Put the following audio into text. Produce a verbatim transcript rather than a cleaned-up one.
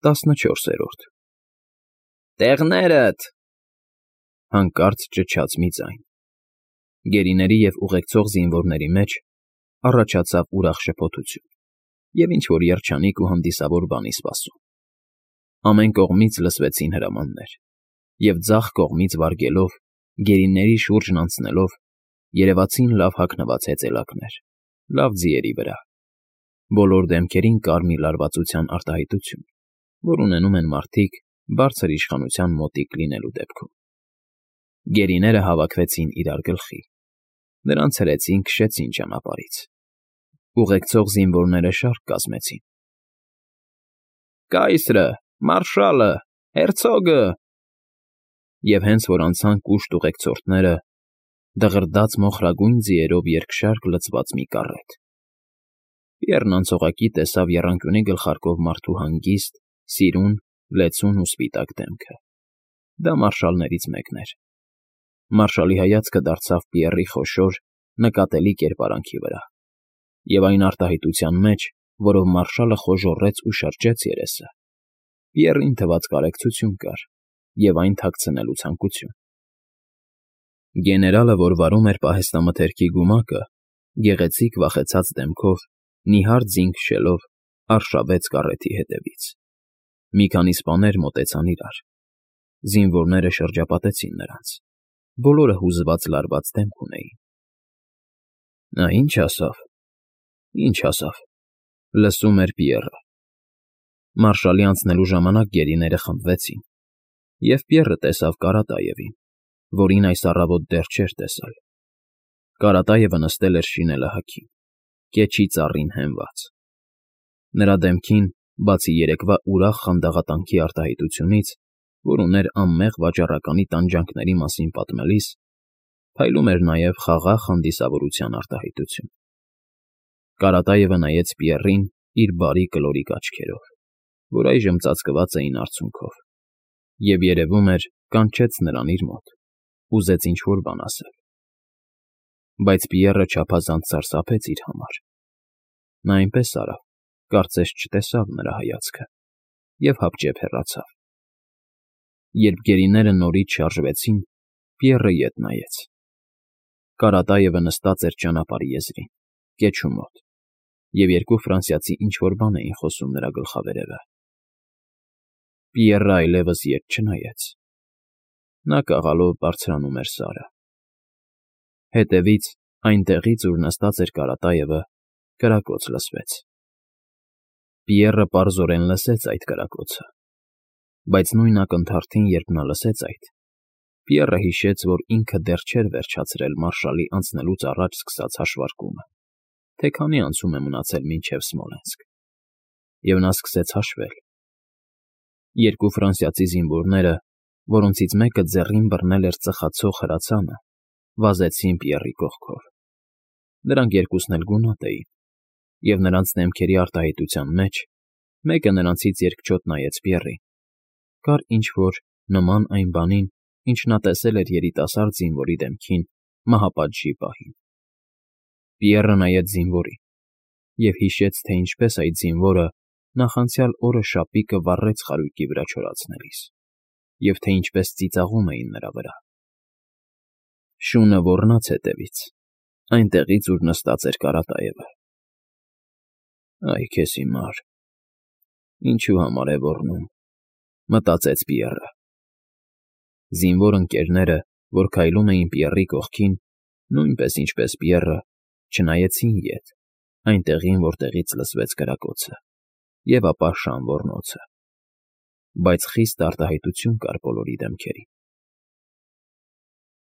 ՏԱՍՆՉՈՐՍԵՐՈՐԴ Տեղնե՜րդ,֊ հանկարծ ճչաց մի ձայն։ Գերիների և ուղեկցող զինվորների մեջ առաջացավ ուրախ շփոթություն և ինչ֊որ երջանիկ ու հանդիսավոր բանի սպասում։ Ամեն կողմից լսվեցին հրամաններ, և ձախ կողմից վարգելով, գերիների շուրջն անցնելով, երևացին լավ հագնված հեծելակներ, լավ ձիերի վրա։ Բոլոր դեմքերին կար մի լարվածության արտահայտություն, որ ունենում են մարդիկ բարձր իշխանության մոտիկ լինելու դեպքում։ Գերիները հավաքվեցին իրար գլխի, նրանց հրեցին քշեցին ճանապարհից։ Ուղեկցող զինվորները շարք կազմեցին. «Կայսրը, մարշալը, հերցոգը…» Եվ հենց որ անցան կուշտ ուղեկցորդները, դղրդաց մոխրագույն ձիերով երկշարք լցված մի կառետ։ Բիեռն անցողակի տեսավ եռանկյունի գլխարկով մարդու հանգիստ, սիրուն, լեցուն ու սպիտակ դեմքը. դա մարշալներից մեկն էր։ Մարշալի հայացքը դարձավ Բիեռի խոշոր, նկատելի կերպարանքի վրա, և այն արտահայտության մեջ, որով մարշալը խոժոռեց ու շրջեց երեսը, Բիեռին թվաց կարեկցություն կար և այն թաքցնելու ցանկություն։ Գեներալը, որ վարում էր պահեստամթերքի գումակը, գեղեցիկ վախեցած դեմքով, նիհար ձին քշելով, արշավեց կառեթի հետևից։ Մի քանի սպաներ մոտեցան իրար։ Զինվորները շրջապատեցին նրանց, բոլորը հուզված լարված դեմք ունեին։ «Նա ի՞նչ ասավ, ի՞նչ ասավ,֊ լսում էր Բիեռը։ Մարշալի անցնելու ժամանակ գերիները խմբվեցին, և Բիեռը տեսավ Կարատաևին, որին այս առավոտ դեռ չէր տեսել։ Կարատաևը նստել էր շինելահագին, կեչի ծառին հենված։ Նրա դեմքին, բացի երեկվա ուրախ խանդաղատանքի արտահայտությունից, որ ուներ անմեղ վաճառականի տանջանքների մասին պատմելիս, փայլում էր նաև խաղաղ հանդիսավորության արտահայտություն։ Կարատաևը նայեց Բիեռին իր բարի կլորիկ աչքերով, որ այժմ ծածկված էին արցունքով, և, երևում էր, կանչեց նրան իր մոտ, ուզեց ինչ֊որ բան ասել։ Բայց Բիեռը չափազանց սարսափեց իր համար։ Նա այնպես արավ, կարծես չտեսավ նրա հայացքը, և հապճեպ հեռացավ։ Երբ գերիները նորից շարժվեցին, Բիեռը ետ նայեց։ Կարատաևը նստած էր ճանապարհի եզրին, կեչու մոտ, և երկու ֆրանսիացի ինչ֊որ բան էին խոսում նրա գլխավերևը։ Բիեռը այլևս ետ չնայեց։ Նա կաղալով բարձրանում էր Սարը։ Հետևից, այնտեղից, ուր նստած էր Կարատաևը, կրակոց լսվեց։ Բիեռը պարզորեն լսեց այդ կրակոցը, բայց նույն ակնթարթին, երբ նա լսեց այդ, Բիեռը հիշեց, որ ինքը դեռ չէր վերջացրել մարշալի անցնելուց առաջ սկսած հաշվարկումը, թե քանի անցում է մնացել մինչև Սմոլենսկ, և նա սկսեց հաշվել։ Երկու ֆրանսիացի զինվորները, որոնցից մեկը ձեռին բռնել էր ծխացող հրացանը, վազեցին Բիեռի կողքով։ Նրանք երկուսն էլ գունատ էին, և նրանց դեմքերի արտահայտության մեջ մեկը նրանցից երկչոտ նայեց Բիեռին, կար ինչ֊որ նման այն բանին, ինչ նա տեսել էր երիտասարդ զինվորի դեմքին մահապատժի պահին։ Բիեռը նայեց զինվորին և հիշեց, թե ինչպես այդ զինվորը նախանցյալ օրը շապիկը վառեց խարույկի վրա չորացնելիս, և թե ինչպես ծիծաղում էին նրա վրա։ Շունը ոռնաց հետևից, այնտեղից, ուր նստած էր Կարատաևը։ «Այ քեզ հիմար, ինչու համար է ոռնում,֊ մտածեց Բիեռը։ Զինվոր ընկերները, որ քայլում էին Բիեռի կողքին, նույնպես ինչպես Բիեռը, չնայեցին ետ, այնտեղին, որտեղից լսվեց կրակոցը, և ապա շան ոռնոցը։ Բայց խիստ արտահայտություն կար բոլորի դեմքերին։